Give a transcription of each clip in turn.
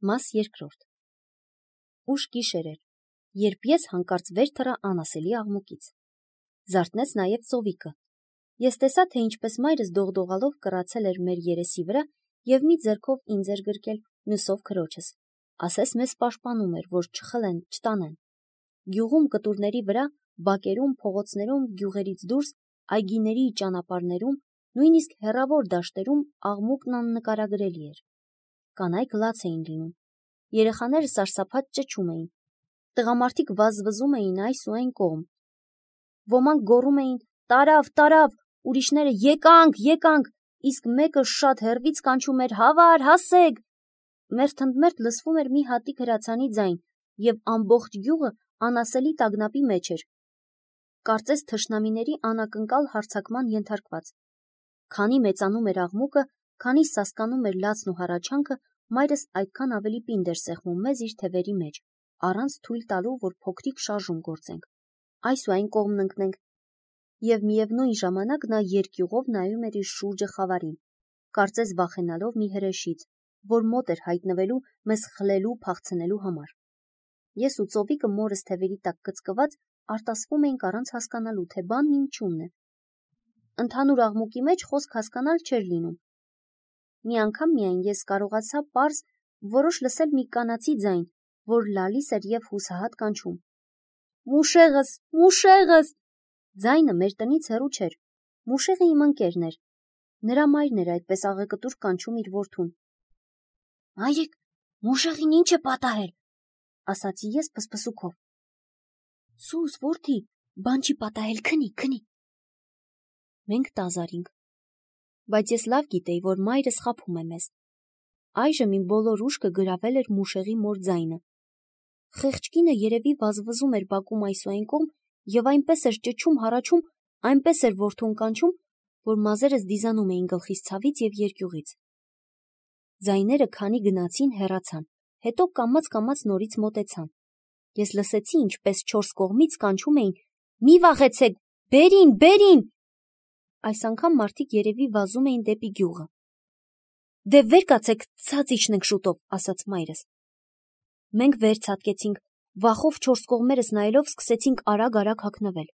Մաս երկրորդ։ Ուշ գիշեր էր, երբ ես հանկարծ վեր թռա անասելի աղմուկից։ Զարթնեց նաև ծովիկը։ Ես տեսա, թե ինչպես մայրս դողդողալով կռացել էր մեր երեսի վրա և մի ձեռքով ինձ էր գրկել, մյուսով քրոջս։ Ասես մեզ պաշտպանում էր, որ չխլեն, չտանեն։ Գյուղում կտուրների վրա, բակերում, փողոցներում, գյուղերից դուրս, այգիների ճանապարհներում, նույնիսկ հեռավոր դաշտերում աղմուկն աննկարագրելի էր։ Կանայք լաց էին լինում։ Երեխաները սարսափած ճչում էին։ Տղամարդիկ վազվզում էին այս ու այն կողմ։ Ոմանք գոռում էին. «Տարավ, տարավ», ուրիշները «Եկանք, եկանք», իսկ մեկը շատ հեռվից կանչում էր. «Հավար, հասեք»։ Մերթընդմերթ լսվում էր մի հատիկ հրացանի ձայն, և ամբողջ գյուղը անասելի տագնապի մեջ էր։ Կարծես թշնամիների անակնկալ հարձակման ենթարկված։ Քանի մեծանում էր աղմուկը, քանի սասկանում էր լացն ու հառաչանքը, մայրս այդքան ավելի պինդ էր սեղմում մեզ իր թևերի մեջ, առանց թույլ տալու, որ փոքրիկ շարժում գործենք, այս ու այն կողմն ընկնենք, և միևնույն ժամանակ նա երկյուղով նայում էր իր շուրջը խավարին, կարծես վախենալով մի հրեշից, որ մոտ էր հայտնվելու մեզ խլելու, փախցնելու համար։ Ես ու ծովիկը մորս թևերի տակ կծկված արտասվում էինք առանց հասկանալու, թե բանն ինչումն է։ Ընդհանուր աղմուկի մեջ խոսք հասկանալ չէր լինում։ Մի անգամ միայն ես կարողացա պարզ որոշ լսել մի կանացի ձայն, որ լալիս էր և հուսահատ կանչում. «Մուշեղս, մուշեղս»։ Ձայնը մեր տնից հեռու չէր։ Մուշեղը իմ ընկերն էր։ Նրա մայրն էր այդպես աղեկտուր կանչում իր որդուն։ «Մայրիկ, մուշեղին ինչ է պատահել», ասացի ես փսփսուքով։ «Սուս, որդի, բան չի պատահել, քնի, քնի»։ Մենք տազարինք։ Բայց ես լավ գիտեի, որ մայրս խաբում է մեզ։ Այժմ իմ բոլոր ուշքը գրավել էր մուշեղի մոր ձայնը։ Խեղճ կինը երևի վազվզում էր բակում այս ու այն կողմ և այնպես էր ճչում, հառաչում, այնպես էր որդուն կանչում, որ մազերս դիզանում էին գլխիս ցավից և երկյուղից։ Ձայները քանի գնացին, հեռացան, հետո կամաց-կամաց նորից մոտեցան։ Ես լսեցի, ինչպես չորս կողմից կանչում էին. «Մի վախեցեք, բերին, բերին»։ Այս անգամ մարդիկ երևի վազում էին դեպի գյուղը։ «Դե վեր կացեք, ցած իջնենք շուտով», ասաց մայրս։ Մենք վեր ցատկեցինք, վախով չորս կողմերս նայելով սկսեցինք արագ-արագ հագնվել։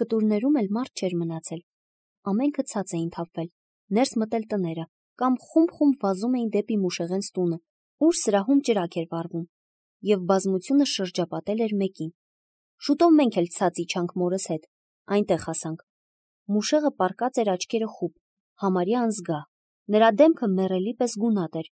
Կտուրներում էլ մարդ չէր մնացել։ Ամենքը ցած էին թափվել, ներս մտել տները, կամ խումբ-խումբ վազում էին դեպի Մուշեղենց տունը, ուր սրահում ճրագ էր վառվում, և բազմությունը շրջապատել էր մեկին։ Շուտով մենք էլ ցած իջանք մորս հետ, այնտեղ հասանք։ Մուշեղը պառկած էր աչքերը խուլ, համարյա անզգա, նրա դեմքը մեռելի պես գունատ էր,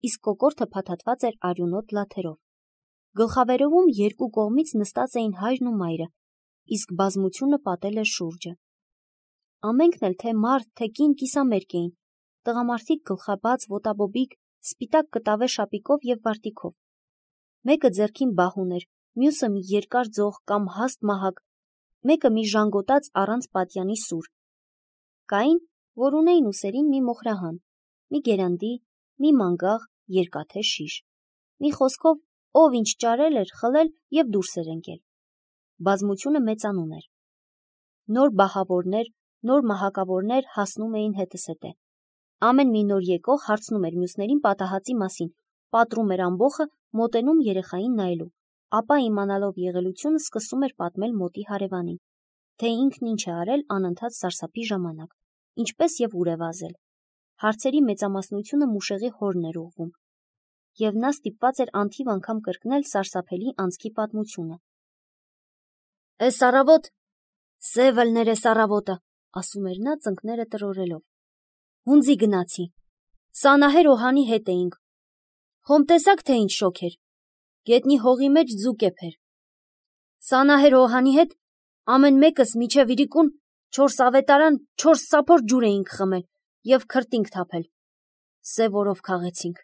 իսկ կոկորդը փաթաթված էր արյունոտ լաթերով։ Գլխավերևում երկու կողմից նստած էին հայրն ու մայրը, իսկ բազմությունը պատել էր շուրջը։ Ամենքն էլ թե մարդ, թե կին կիսամերկ էին, տղամարդիկ գլխաբաց, ոտաբոբիկ, սպիտակ կտավե շապիկով և վարտիքով։ Մեկը ձեռքին բահ ուներ, մյուսը մի երկար ձող կամ հաստ մահակ, մեկը մի ժանգոտած առանց պատյանի սուր։ Կային, որ ունեին ուսերին մի մոխրահան, մի գերանդի, մի մանգաղ, երկաթե շիշ։ Մի խոսքով, ով ինչ ճարել էր, խլել և դուրս էր ընկել։ Բազմությունը մեծանում էր։ Նոր բահավորներ, նոր մահակավորներ հասնում էին հետզհետե։ Ամեն մի նոր եկող հարցնում էր մյուսներին պատահածի մասին, պատռում էր ամբոխը, մոտենում երեխային նայելու, ապա իմանալով եղելությունը սկսում էր պատմել մոտի հարևանին, թե ինքն ինչ է արել անընդհատ սարսափի ժամանակ, ինչպես և ուր է վազել։ Հարցերի մեծամասնությունը Մուշեղի հորն էր ուղղվում, և նա ստիպված էր անթիվ անգամ կրկնել սարսափելի անցքի պատմությունը։ «Էս առավոտ, սև ըլներ էս առավոտը», ասում էր նա ծնկները տրորելով։ «Հունձի գնացի, Սանահեր Օհանի հետ էինք։ Խոմ տեսաք, թե ինչ շոգ էր, գետնի հողի մեջ ձուկ էփ էր։ Սանահեր Օհանի հետ ամեն մեկս մինչև իրիկուն 4 ավետարան 4 սափոր ջուր էինք խմել և քրտինք թափել։ Սև օրով քաղեցինք։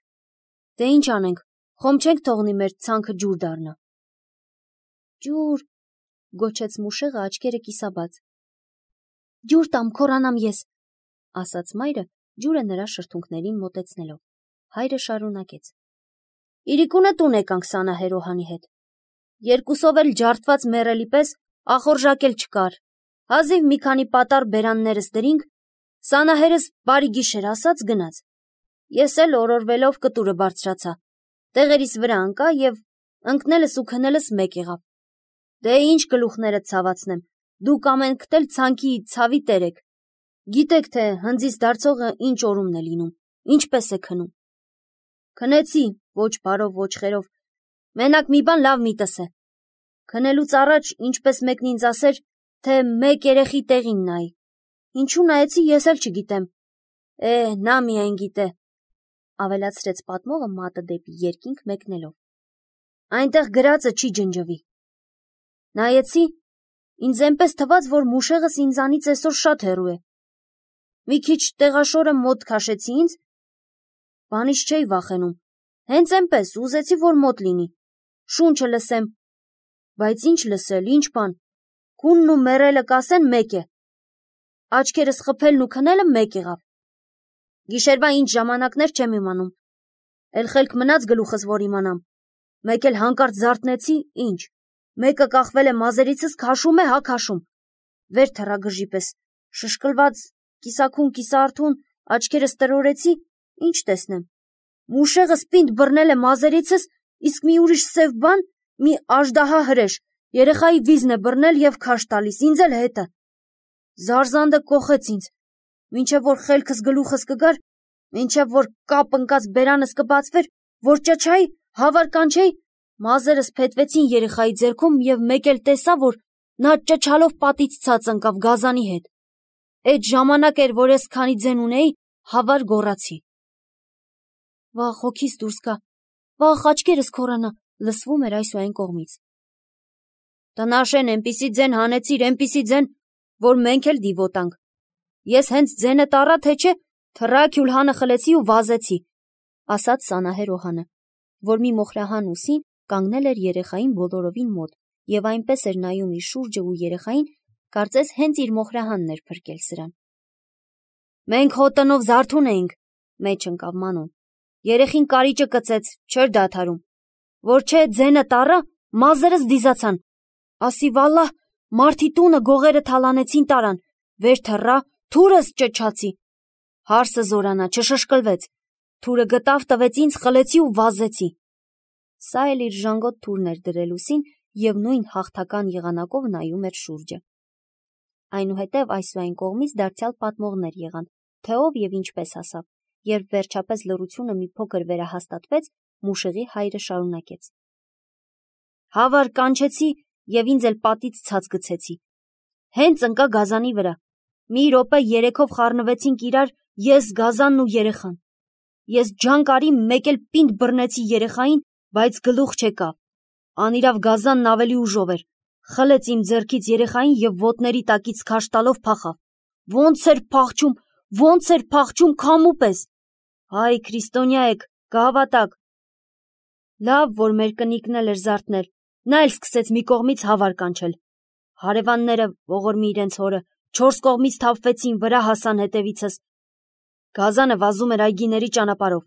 Դե ինչ անենք, խոմ չենք թողնի մեր ցանքը ջուր դառնա»։ «Ջուր», գոչեց Մուշեղը աչքերը կիսաբաց։ «Ջուր տամ, քորանամ ես», ասաց մայրը, ջուրը նրա շրթունքներին մոտեցնելով։ Հայրը շարունակեց. «Իրիկունը տուն եկանք Սանահեր Օհանի հետ։ Երկուսով էլ ջարդված մեռելի պես ախորժակել չկար։ Հազիվ մի քանի պատառ բերաններս դրինք, Սանահերս բարի գիշեր ասաց գնաց։ Ես էլ օրորվելով կտուրը բարձրացա, տեղերիս վրա անկա և ընկնելս ու քնելս մեկ եղավ։ Դե ինչ գլուխներդ ցավացնեմ, դուք ամենքդ էլ ցանքի ցավի տեր եք։ Գիտեք, թե հնձից դարձողը ինչ օրումն է լինում, ինչպես է քնում։ Քնեցի, ոչ բարով, ոչ խերով, մենակ մի բան լավ միտս է։ Քնելուց առաջ ինչպես մեկն ինձ ասեր, թե մեկ երեխի տեղին նայի։ Ինչու նայեցի, ես էլ չգիտեմ։ Նա միայն գիտե, ավելացրեց պատմողը մատը դեպի երկինք մեկնելով։ Այնտեղ գրածը չի ջնջվի։ Նայեցի, ինձ այնպես թվաց, որ մուշեղս ինձանից այսօր շատ հեռու է։ Մի քիչ տեղաշորը մոտ քաշեցի ինձ, բանից չէի վախենում, հենց այնպես ուզեցի, որ մոտ լինի, շունչը լսեմ, բայց ինչ լսել, ինչ բան, քունն ու մեռելը կասեն մեկ է, աչքերս խփելն ու քնելը մեկ եղավ։ Գիշերվա ինչ ժամանակներ չեմ իմանում, էլ խելք մնաց գլուխս, որ իմանամ, մեկ էլ հանկարծ զարթնեցի, ինչ, մեկը կախվել է մազերիցս, քաշում է, հա քաշում, վեր թռա գժի պես, շշկլված, կիսաքուն, կիսաարթուն, աչքերս տրորեցի, ինչ տեսնեմ, մուշեղս պինդ բռնել է մազերիցս, իսկ մի ուրիշ սև բան, մի աժդահա հրեշ, երեխայի վիզն է բռնել և քաշ տալիս, ինձ էլ հետը։ Զարզանդը կոխեց ինձ, մինչև որ խելքս գլուխս կգար, մինչև որ կապ ընկած բերանս կբացվեր, որ ճչայի, հավար կանչեի, մազերս փետվեցին երեխայի ձեռքում և մեկ էլ տեսա, որ նա ճչալով պատից ցած ընկավ գազանի հետ։ Այդ ժամանակ էր, որ ես քանի ձեն ունեի, հավար գոռացի։ Վախ, հոգիս դուրս գա, վախ, աչքերս քորանա, լսվում էր այս ու այն կողմից։ Տնաշեն էնպիսի ձեն հանեցիր, էնպիսի ձեն, որ մենք էլ դիվոտանք։ Ես հենց ձենը տառա, թե չէ, թռա քյուլհանը խլեցի ու վազեցի, ասաց Սանահեր Օհանը, որ մի մոխրահան ուսին կանգնել էր երեխային բոլորովին մոտ և այնպես էր նայում իր շուրջը ու երեխային, կարծես հենց իր մոխրահանն էր փրկել սրան։ Մենք հո տնով զարթուն էինք, մեջ ընկավ Մանոն։ Երեխին կարիճը կծեց, չէր դադարում։ Որ չէ ձենը տառա, մազերս դիզացան։ Ասի վալլահ, մարդի տունը գողերը թալանեցին տարան, վեր թռա, թուրս ճչացի։ Հարսը զորանա, չշշկլվեց։ Թուրը գտավ, տվեց ինձ, խլեցի ու վազեցի։ Սա էլ իր ժանգոտ թուրն էր դրել ուսին և նույն հաղթական եղանակով նայում էր շուրջը։ Այնուհետև այս ու այն կողմից դարձյալ պատմողներ եղան, թե ով և ինչպես հասավ, երբ վերջապես լռությունը մի փոքր վերահաստատվեց, մուշեղի հայրը շարունակեց. Հավար կանչեցի և ինձ էլ պատից ցած գցեցի։ Հենց ընկա գազանի վրա։ Մի րոպե երեքով խառնվեցինք իրար, ես, գազանն ու երեխան։ Ես ջանք արի, մեկ էլ պինդ բռնեցի երեխային, բայց գլուխ չեկավ։ Անիրավ գազանն ավելի ուժով էր։ Խլեց իմ ձեռքից երեխային և ոտների տակից քաշ տալով փախավ։ Ոնց էր փախչում քամու պես։ Հայ քրիստոնյա եք, կհավատաք։ Լավ, որ մեր կնիկն էլ էր զարթնել, նա էլ սկսեց մի կողմից հավար կանչել։ Հարևանները, ողորմի իրենց հորը, 4 կողմից թափվեցին, վրա հասան հետևիցս։ Գազանը վազում էր այգիների ճանապարհով։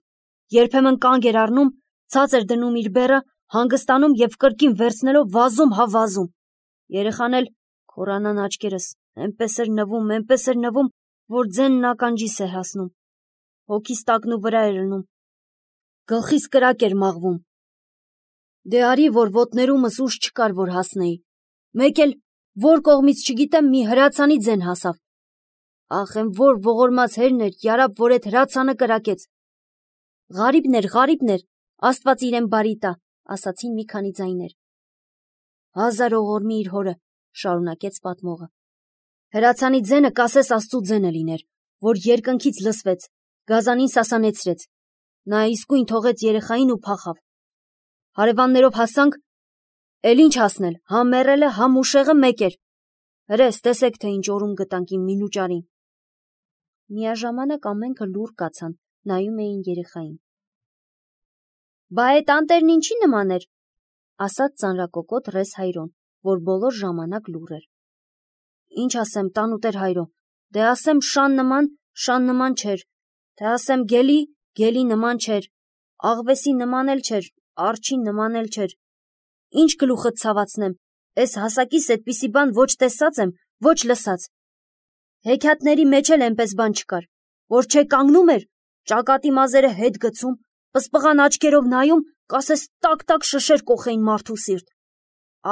Երբեմն կանգ էր առնում, ցած էր դնում իր բեռը, հանգստանում և կրկին վերցնելով վազում, հա վազում։ Երեխան էլ քորանան աչքերս, այնպես էր նվում, որ ձենն ականջիս էր հասնում։ Հոգիս տակն ու վրա էր լնում։ Գլխիս կրակ էր մաղվում։ Դե արի, որ ոտներումս ուժ չկար, որ հասնեի։ Մեկ էլ, որ կողմից չգիտեմ, մի հրացանի ձեն հասավ։ Ախ, եմ որ ողորմած հերն էր, յարապ, որ էդ հրացանը կրակեց։ Ղարիբն էր, Աստված իրեն բարի տա, ասացին մի քանի ձայներ։ Հազար ողորմի իր հորը, շարունակեց պատմողը։ Հրացանի ձենը կասես Աստծու ձենը լիներ, որ երկնքից լսվեց, գազանին սասանեցրեց։ Նա իսկույն թողեց երեխային ու փախավ։ Հարևաններով հասանք, էլ ինչ հասնել, հա մեռելը, հա մուշեղը մեկ էր։ Հրես, տեսեք, թե ինչ օրում գտանք իմ մինուճարին։ Միաժամանակ ամենքը լուռ կացան, նայում էին երեխային։ Բա այդ անտերն ինչի նման էր, ասաց ծանրակոկոտ ռես Հայրոն, որ բոլոր ժամանակ լուռ էր։ Ինչ ասեմ, տանուտեր Հայրո, դե ասեմ շան նման չէր, թե ասեմ գելի նման չէր, աղվեսի նման էլ չէր, արջի նման էլ չէր։ Ինչ գլուխդ ցավացնեմ, էս հասակիս այդպիսի բան ոչ տեսած եմ, ոչ լսած։ Հեքիաթների մեջ էլ այնպես բան չկար, որ չէ կանգնում էր, ճակատի մազերը հետ գցում, պսպղան աչքերով նայում, կասես տակ-տակ շշեր կոխեին մարդու սիրտ։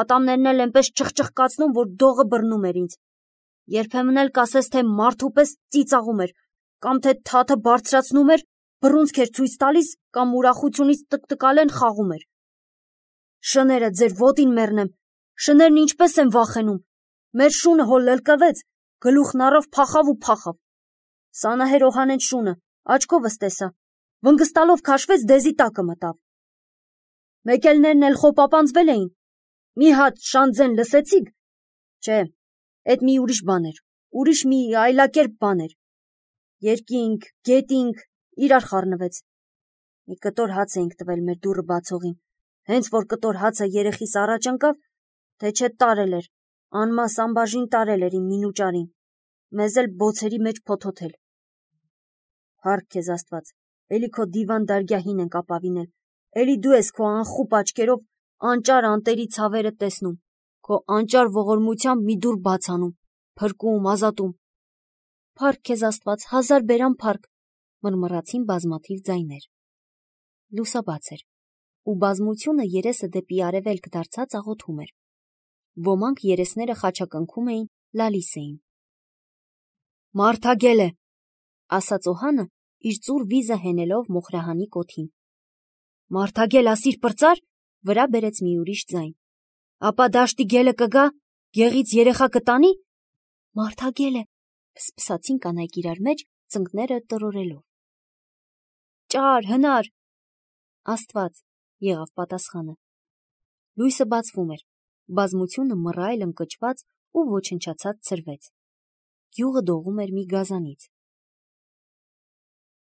Ատամներն էլ այնպես չխչխկացնում, որ դողը բռնում էր ինձ։ Երբեմն էլ կասես, թե մարդու պես ծիծաղում էր, կամ թե թաթը բարձրացնում էր, բռունցք էր ցույց տալիս, կամ ուրախությունից տկտկալեն խաղում էր։ Շները ձեր ոտին մեռնեմ, շներն ինչպես են վախենում։ Մեր շունը հո լլկվեց, գլուխն առավ փախավ ու փախավ։ Սանահեր Օհանեն շունը, աչքովս տեսա, վնգստալով քաշվեց դեզի տակը մտավ։ Մեկելներն էլ խոպապանձվել էին։ Մի հատ շանձեն լսեցիք։ Չէ, էդ մի ուրիշ բան էր, ուրիշ մի այլակերպ բան էր։ Երկինք, գետինք, իրար խառնվեց։ Մի կտոր հաց էինք տվել մեր դուռը բացողին։ Հենց որ կտոր հացը երեխիս առաջ ընկավ, թե չէ տարել էր, անմաս անբաժին տարել էր իմ մինուճարին, մեզ էլ բոցերի մեջ փոթոթել։ Փառք քեզ Աստված, էլի քո դիվան դարգյահին ենք ապավինել, էլի դու ես քո անխուպ աչքերով անճար անտերի ցավերը տեսնում, քո անճար ողորմությամբ մի դուռ բաց անում, փրկում, ազատում։ Փառք քեզ Աստված, հազար բերան փառք, մռմռացին բազմաթիվ ձայներ։ Լուսաբաց էր, ու բազմությունը երեսը դեպի արևելք դարձած աղոթում էր։ Ոմանք երեսները խաչակնքում էին, լալիս էին։ Մարդագել է, ասաց Օհանը, իր ծուռ վիզը հենելով մոխրահանի կոթին։ Մարդագել ասիր պրծար, վրա բերեց մի ուրիշ ձայն։ Ապա դաշտի գելը կգա, գեղից երեխա կտանի։ Մարդագել է, փսփսացին կանայք իրար մեջ, ծնկները տրորելով։ Ճար, հնար։ Աստված, եղավ պատասխանը։ Լույսը բացվում էր, բազմությունը մռայլ ընկճված ու ոչնչացած ցրվեց։ Գյուղը դողում էր մի գազանից։